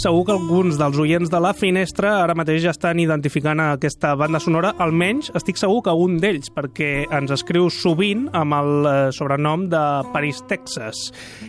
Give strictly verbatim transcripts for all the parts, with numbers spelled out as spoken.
Segur que alguns dels oients de La Finestra ara mateix ja estan identificant aquesta banda sonora, almenys estic segur que un d'ells, perquè ens escriu sovint amb el sobrenom de Paris, Texas.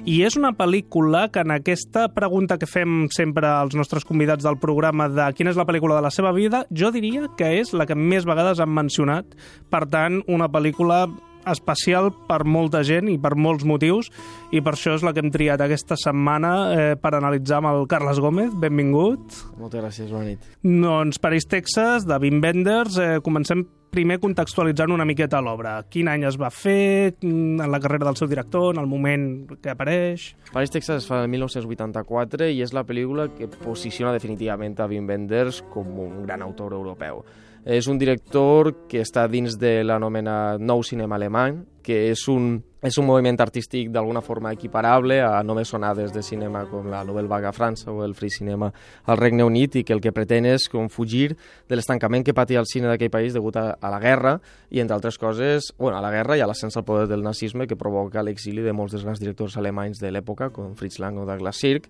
I és una pel·lícula que en aquesta pregunta que fem sempre als nostres convidats del programa de quina és la pel·lícula de la seva vida, jo diria que és la que més vegades han mencionat. Per tant, una pel·lícula especial per molta gent i per molts motius, i per això és la que hem triat aquesta setmana eh, per analitzar amb el Carles Gómez. Benvingut. Moltes gràcies, bona nit. Doncs Paris, Texas, de Wim Wenders. Eh, comencem primer contextualitzant una miqueta l'obra. Quin any es va fer, en la carrera del seu director, en el moment que apareix? Paris, Texas es fa el mil nou-cents vuitanta-quatre i és la pel·lícula que posiciona definitivament a Wim Wenders com un gran autor europeu. És un director que està dins de l'anomenat nou cinema alemany, que és un, és un moviment artístic d'alguna forma equiparable a noves onades de cinema com la Nouvelle Vague a França o el Free Cinema al Regne Unit, i que el que pretén és com fugir de l'estancament que patia el cine d'aquell país degut a, a la guerra i, entre altres coses, bueno, a la guerra i a l'ascens al poder del nazisme que provoca l'exili de molts dels grans directors alemanys de l'època, com Fritz Lang o Douglas Sirk,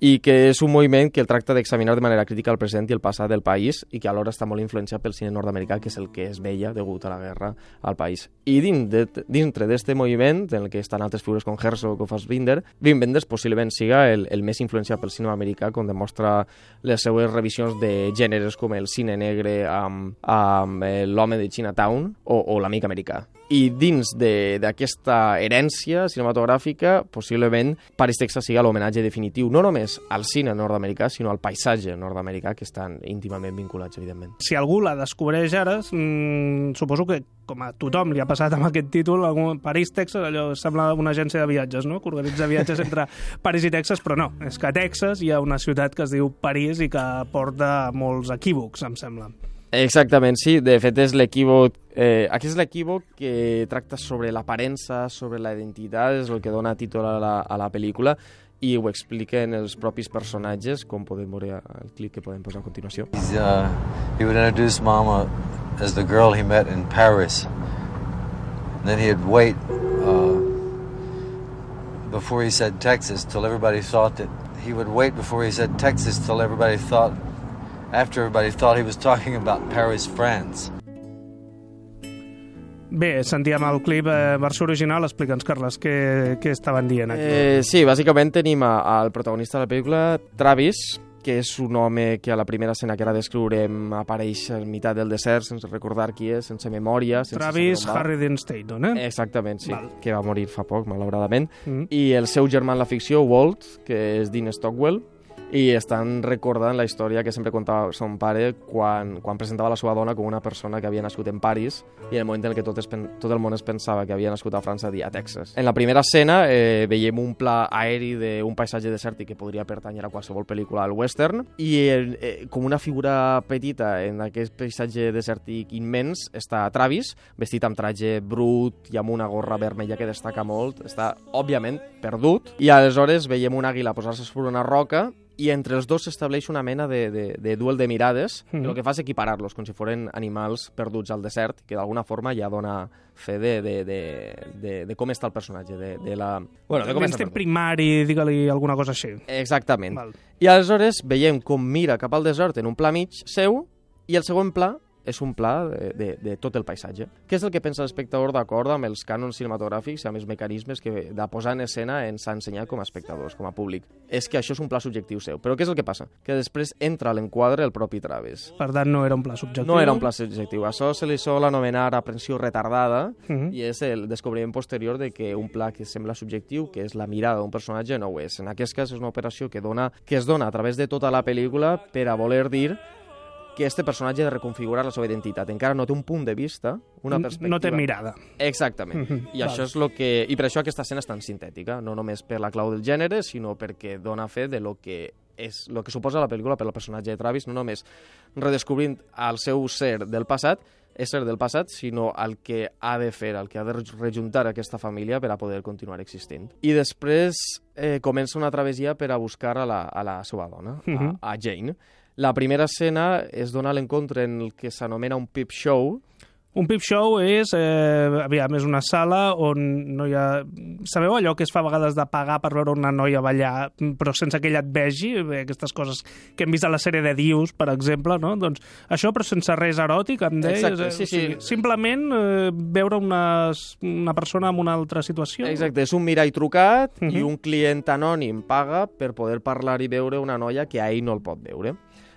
i que és un moviment que el tracta d'examinar de manera crítica el present i el passat del país i que alhora està molt influenciat pel cine nord-americà, que és el que es veia degut a la guerra al país. I dins de, dintre d'aquest moviment, en el que estan altres figures com Herzog o Fassbinder, Wim Wenders possiblement siga el, el més influenciat pel cinema americà, com demostra les seues revisions de gèneres com el cine negre amb, amb l'home de Chinatown o, o l'amic americà. I dins d'aquesta herència cinematogràfica, possiblement Paris, Texas siga l'homenatge definitiu, no només al cine nord-americà, sinó al paisatge nord-americà, que estan íntimament vinculats, evidentment. Si algú la descobreix ara, mmm, suposo que, com a tothom li ha passat amb aquest títol, Paris, Texas, allò sembla una agència de viatges, no?, que organitza viatges entre París i Texas, però no, és que a Texas hi ha una ciutat que es diu París i que porta molts equívocs, em sembla. Exactament, sí. De fet, és l'equívoc... Eh, aquest és l'equívoc que tracta sobre l'aparença, sobre la identitat, és el que dona títol a la, a la pel·lícula, i ho expliquen els propis personatges, com podem veure el clip que podem posar a continuació. Uh, he would introduce Mama as the girl he met in Paris. And then he'd wait uh, before he said Texas till everybody thought that... He would wait before he said Texas till everybody thought... after everybody thought he was talking about Paris, France. Bé, sentíem el clip, eh, versió original. Explica'ns, Carles, què, què estaven dient aquí. Eh, sí, bàsicament tenim al protagonista de la pel·lícula, Travis, que és un home que a la primera escena que ara descriurem apareix a meitat del desert, sense recordar qui és, sense memòria. Sense Travis Harry Dean Stanton, eh? Exactament, sí, Val. Que va morir fa poc, malauradament. Mm. I el seu germà en la ficció, Walt, que és Dean Stockwell, i estan recordant la història que sempre contava son pare quan, quan presentava la seva dona com una persona que havia nascut en París, i en el moment en què tot, es, tot el món es pensava que havia nascut a França i a Texas. En la primera escena eh, veiem un pla aeri d'un paisatge desèrtic que podria pertànyer a qualsevol pel·lícula al western, i eh, com una figura petita en aquest paisatge desèrtic immens està Travis, vestit amb traje brut i amb una gorra vermella que destaca molt, està òbviament perdut, i aleshores veiem una àguila posar-se sobre una roca i entre els dos s'estableix una mena de, de, de duel de mirades, mm. que el que fa és equiparar-los com si foren animals perduts al desert, que d'alguna forma ja dona fe de, de, de, de, de com està el personatge, de, de la... Bueno, de com està primari, digue-li alguna cosa així. Exactament. Val. I aleshores veiem com mira cap al desert en un pla mig seu, i el segon pla és un pla de, de, de tot el paisatge. Què és el que pensa l'espectador d'acord amb els cànons cinematogràfics i amb els mecanismes que de posar en escena ens ha ensenyat com a espectadors, com a públic? És que això és un pla subjectiu seu. Però què és el que passa? Que després entra a l'enquadre el propi Travis. Per tant, no era un pla subjectiu. No era un pla subjectiu. Això se li sol anomenar aprensió retardada, uh -huh. i és el descobriment posterior de que un pla que sembla subjectiu, que és la mirada d'un personatge, no ho és. En aquest cas és una operació que, dona, que es dona a través de tota la pel·lícula per a voler dir que este personatge ha de reconfigurar la seva identitat. Encara no té un punt de vista, una perspectiva... No té mirada. Exactament. Mm-hmm. I, això és lo que... I per això aquesta escena és tan sintètica, no només per la clau del gènere, sinó perquè dona fe de lo que és lo que suposa la pel·lícula per al personatge de Travis, no només redescobrint el seu ser del passat, ésser del passat, sinó el que ha de fer, el que ha de rejuntar aquesta família per a poder continuar existint. I després eh, comença una travessia per a buscar a la, a la seva dona, mm-hmm. a, a Jane. La primera escena es dona l'encontre en el que s'anomena un peep show. Un peep show és, eh, aviam, és una sala on no hi ha... Sabeu allò que es fa a vegades de pagar per veure una noia ballar, però sense que ella et vegi? Bé, aquestes coses que hem vist a la sèrie de Dius, per exemple, no? Doncs això, però sense res eròtic, em deies? Exacte, sí, sí. O sigui, simplement eh, veure una, una persona en una altra situació? Exacte, és un mirall trucat Uh-huh. i un client anònim paga per poder parlar i veure una noia que a ell no el pot veure.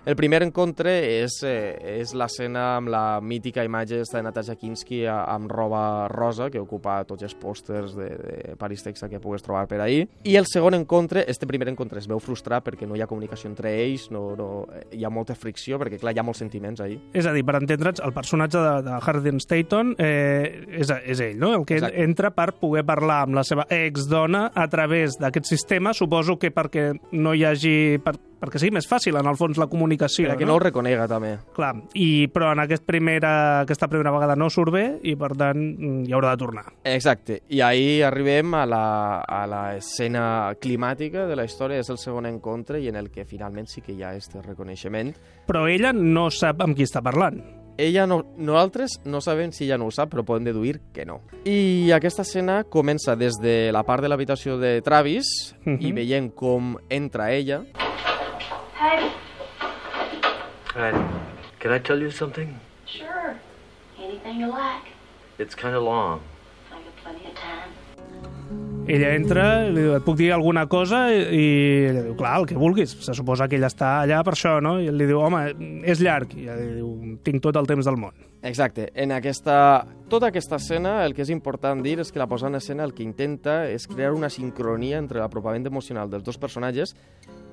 El primer encontre és, eh, és l'escena amb la mítica imatge de Natasha Kinski amb roba rosa, que ocupa tots els pòsters de, de Paris, Texas que pugues trobar per ahí. I el segon encontre, este primer encontre es veu frustrat perquè no hi ha comunicació entre ells, no, no, hi ha molta fricció, perquè clar, hi ha molts sentiments ahí. És a dir, per entendre'ns, el personatge de, de Harden Stanton eh, és, és ell, no? El que Exacte. entra per poder parlar amb la seva exdona a través d'aquest sistema, suposo que perquè no hi hagi... Per, perquè sigui més fàcil, en el fons, la comunicació. Perquè no? no el reconega, també. Clar, i, però en aquest primera, aquesta primera vegada no surt bé i, per tant, hi haurà de tornar. Exacte, i ahir arribem a la, a la escena climàtica de la història, és el segon encontre i en el que finalment sí que hi ha aquest reconeixement. Però ella no sap amb qui està parlant. Ella no, nosaltres no sabem si ella no ho sap, però podem deduir que no. I aquesta escena comença des de la part de l'habitació de Travis Mhm. i veiem com entra ella. Hey, Hi. Can I tell you something? sure. Anything you like. It's kind of long. I got plenty of time. Ella entra, li diu, et puc dir alguna cosa? I, i ella diu, clar, el que vulguis. Se suposa que ella està allà per això, no? I ell li diu, home, és llarg. I ella diu, tinc tot el temps del món. Exacte. En aquesta, tota aquesta escena, el que és important dir és que la posada en escena el que intenta és crear una sincronia entre l'apropament emocional dels dos personatges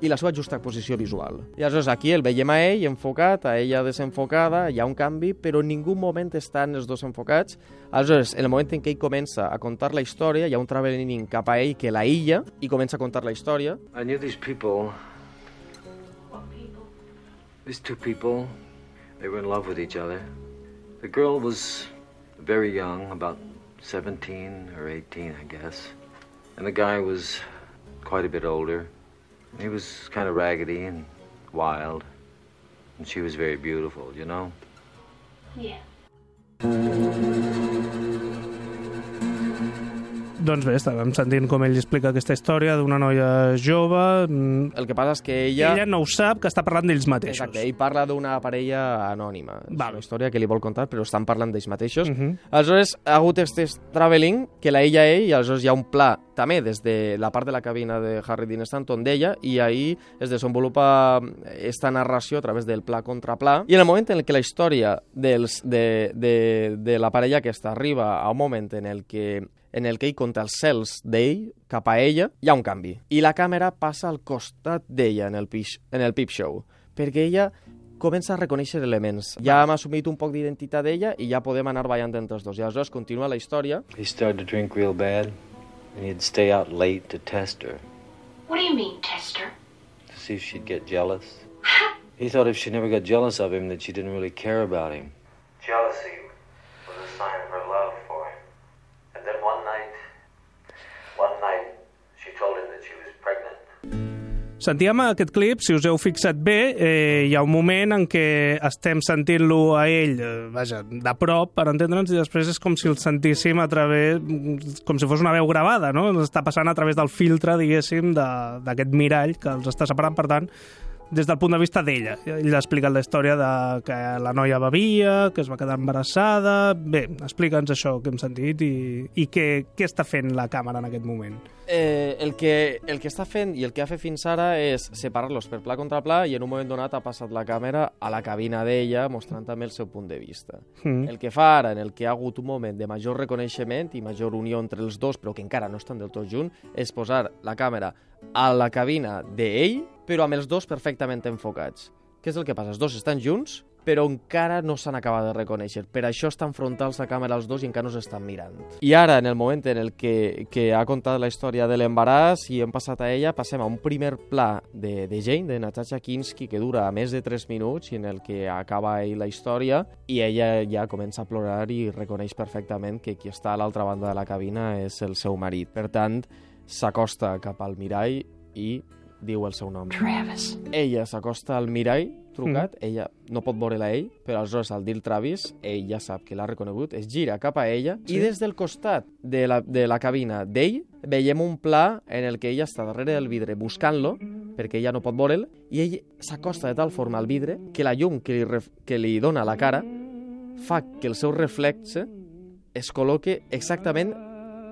i la seva justa posició visual. I aleshores aquí el veiem a ell enfocat, a ella desenfocada, hi ha un canvi, però en ningú moment estan els dos enfocats. Aleshores, en el moment en què ell comença a contar la història, hi ha un travelling cap a ell que l'aïlla i comença a contar la història. I knew these people, What people? these two people, they were in love with each other. The girl was very young, about seventeen or eighteen, I guess. And the guy was quite a bit older. He was kind of raggedy and wild. And she was very beautiful, you know? Yeah. Doncs bé, estàvem sentint com ell explica aquesta història d'una noia jove. mm, El que passa és que ella... Ella no ho sap, que està parlant d'ells mateixos. Exacte, ell parla d'una parella anònima. És Val. una història que li vol contar, però estan parlant d'ells mateixos. Mhm. Aleshores, ha hagut aquest travelling que la ella a ell, i aleshores hi ha un pla també des de la part de la cabina de Harry Dean Stanton d'ella, i ahir es desenvolupa esta narració a través del pla contra pla, i en el moment en què la història dels, de, de, de la parella aquesta arriba a un moment en el que en el que ell conta els cels d'ell cap a ella, hi ha un canvi. I la càmera passa al costat d'ella en el, pix, en el peep show, perquè ella comença a reconèixer elements. Ja hem assumit un poc d'identitat d'ella i ja podem anar ballant entre els dos. I aleshores continua la història. He started to drink real bad, and he'd stay out late to test her, What do you mean, Tester? to see if she'd get jealous. He thought if she never got jealous of him, that she didn't really care about him. Jealousy was a sign of her love for him. And then one night, one night, she told him that she was pregnant. Sentíem aquest clip, si us heu fixat bé, eh, hi ha un moment en què estem sentint-lo a ell, eh, vaja, de prop, per entendre'ns, i després és com si el sentíssim a través, com si fos una veu gravada, no? Ens està passant a través del filtre, diguéssim, de- d'aquest mirall que els està separant, per tant, des del punt de vista d'ella. Ell ha explicat la història de que la noia bevia, que es va quedar embarassada... Bé, explica'ns això que hem sentit i, i què, què està fent la càmera en aquest moment. Eh, el, que, el que està fent i el que ha fet fins ara és separar-los per pla contra pla, i en un moment donat ha passat la càmera a la cabina d'ella, mostrant també el seu punt de vista. Mm. El que fa ara, en el que ha hagut un moment de major reconeixement i major unió entre els dos, però que encara no estan del tot junts, és posar la càmera a la cabina d'ell, però amb els dos perfectament enfocats. Què és el que passa? Els dos estan junts, però encara no s'han acabat de reconèixer. Per això estan frontals la càmera els dos i encara no s'estan mirant. I ara, en el moment en el que, que ha contat la història de l'embaràs i hem passat a ella, passem a un primer pla de, de Jane, de Natasha Kinski, que dura més de tres minuts i en el que acaba ell la història, i ella ja comença a plorar i reconeix perfectament que qui està a l'altra banda de la cabina és el seu marit. Per tant, s'acosta cap al mirall i diu el seu nom. Travis. Ella s'acosta al mirall trucat, mm. ella no pot veure-la ell, però aleshores al dir Travis, ell ja sap que l'ha reconegut, es gira cap a ella, sí. i des del costat de la, de la cabina d'ell veiem un pla en el que ella està darrere del vidre buscant-lo, perquè ella no pot veure'l, i ell s'acosta de tal forma al vidre que la llum que li, ref, que li dona a la cara fa que el seu reflexe es col·loque exactament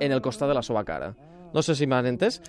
en el costat de la seva cara. No sé si m'han entès,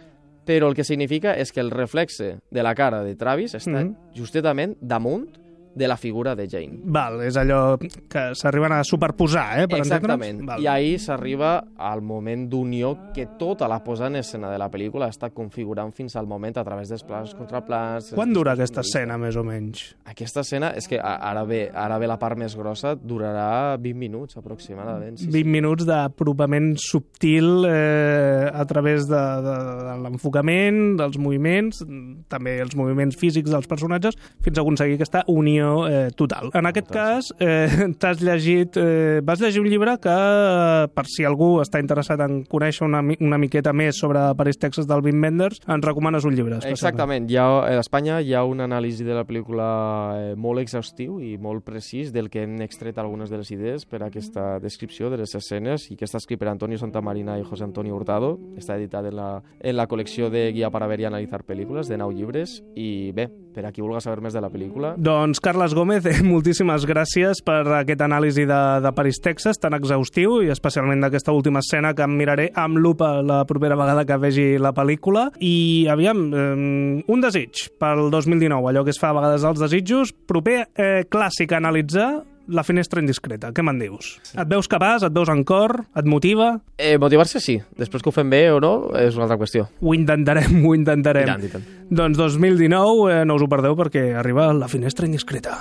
però el que significa és que el reflexe de la cara de Travis està mm-hmm. justament damunt de la figura de Jane. Val, és allò que s'arriben a superposar, eh? Per Exactament. I ahir s'arriba al moment d'unió que tota la posada en escena de la pel·lícula està configurant fins al moment a través dels plans contra plans. Quan dura aquesta escena, més o menys? Aquesta escena, és que ara ve, ara ve la part més grossa, durarà vint minuts aproximadament. Sí, vint sí. minuts d'apropament subtil eh, a través de, de, de l'enfocament, dels moviments, també els moviments físics dels personatges, fins a aconseguir aquesta unió Eh, total. En aquest cas, eh, t'has llegit, eh, vas llegir un llibre que, eh, per si algú està interessat en conèixer una, una miqueta més sobre Paris, Texas, del Wim Wenders, ens recomanes un llibre. Exactament. Hi ha, a Espanya hi ha una anàlisi de la pel·lícula eh, molt exhaustiu i molt precís del que hem extret algunes de les idees per a aquesta descripció de les escenes i que està escrit per Antonio Santamarina i José Antonio Hurtado. Està editat en la, en la col·lecció de Guia para ver y analizar pel·lícules de nou llibres i bé, per a qui vulgui saber més de la pel·lícula. Doncs Carles Gómez, eh, moltíssimes gràcies per aquest anàlisi de, de Paris, Texas, tan exhaustiu i especialment d'aquesta última escena que em miraré amb lupa la propera vegada que vegi la pel·lícula. I aviam, eh, un desig pel dos mil dinou, allò que es fa a vegades als desitjos, proper eh, clàssic a analitzar, La finestra indiscreta. Què me'n dius? Sí. Et veus capaç? Et veus en cor? Et motiva? Eh, motivar-se sí. Després que ho fem bé o no, és una altra qüestió. Ho intentarem, ho intentarem. I tant, i tant. Doncs dos mil dinou, eh, no us ho perdeu perquè arriba La finestra indiscreta.